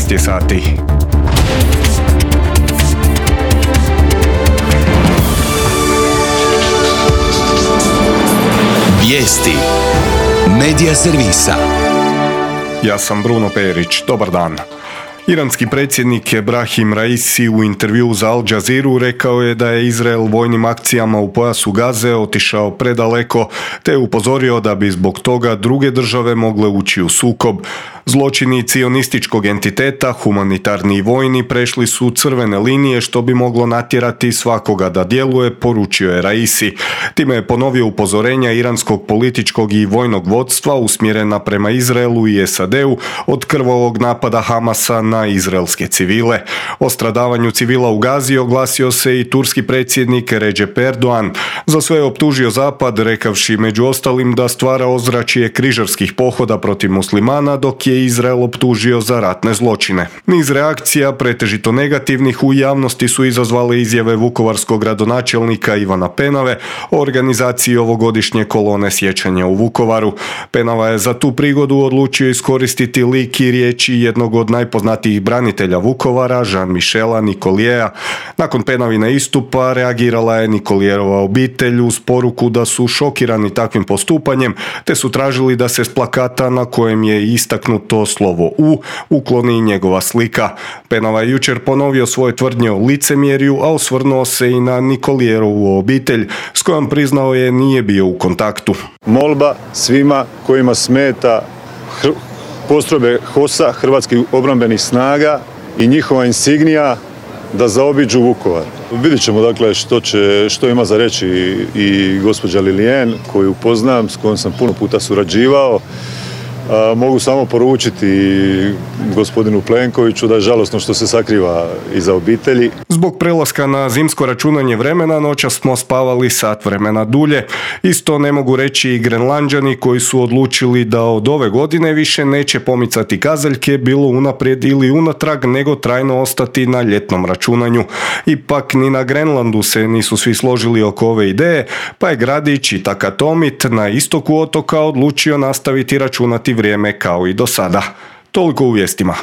13 je sati. Vijesti Medija servisa. Ja sam Bruno Perić. Dobar dan. Iranski predsjednik Ebrahim Raisi u intervjuu za Al Jazeeru rekao je da je Izrael vojnim akcijama u pojasu Gaze otišao predaleko, te je upozorio da bi zbog toga druge države mogle ući u sukob. Zločini cionističkog entiteta, humanitarni i vojni, prešli su crvene linije što bi moglo natjerati svakoga da djeluje, poručio je Raisi. Time je ponovio upozorenja iranskog političkog i vojnog vodstva usmjerena prema Izraelu i SAD-u od krvavog napada Hamasa na izraelske civile. O stradavanju civila u Gazi oglasio se i turski predsjednik Recep Erdogan. Za sve je optužio Zapad, rekavši među ostalim da stvara ozračje križarskih pohoda protiv muslimana, dok je Izrael optužio za ratne zločine. Niz reakcija, pretežito negativnih, u javnosti su izazvale izjave vukovarskog gradonačelnika Ivana Penave o organizaciji ovogodišnje kolone sjećanja u Vukovaru. Penava je za tu prigodu odlučio iskoristiti lik i riječi jednog od najpoznatijih branitelja Vukovara, Jean-Michela Nicoliera. Nakon Penavina istupa reagirala je Nicolierova obitelj uz poruku da su šokirani takvim postupanjem, te su tražili da se s plakata na kojem je istaknuto slovo U ukloni njegova slika. Penava je jučer ponovio svoje tvrdnje o licemjerju, a osvrnuo se i na Nicolierovu obitelj s kojom priznao je nije bio u kontaktu. Molba svima kojima smeta postrojbe HOS-a, Hrvatskih obrambenih snaga i njihova insignija da zaobiđu Vukovar. Vidjet ćemo dakle što ima za reći i gospođa Lilian koju poznam, s kojom sam puno puta surađivao. Mogu samo poručiti gospodinu Plenkoviću da je žalosno što se sakriva iza obitelji. Zbog prelaska na zimsko računanje vremena noćas smo spavali sat vremena dulje. Isto ne mogu reći i Grenlanđani koji su odlučili da od ove godine više neće pomicati kazaljke bilo unaprijed ili unatrag, nego trajno ostati na ljetnom računanju. Ipak ni na Grenlandu se nisu svi složili oko ove ideje, pa je gradić i Takatomit na istoku otoka odlučio nastaviti računati vrijeme kao i do sada. Toliko u vijestima.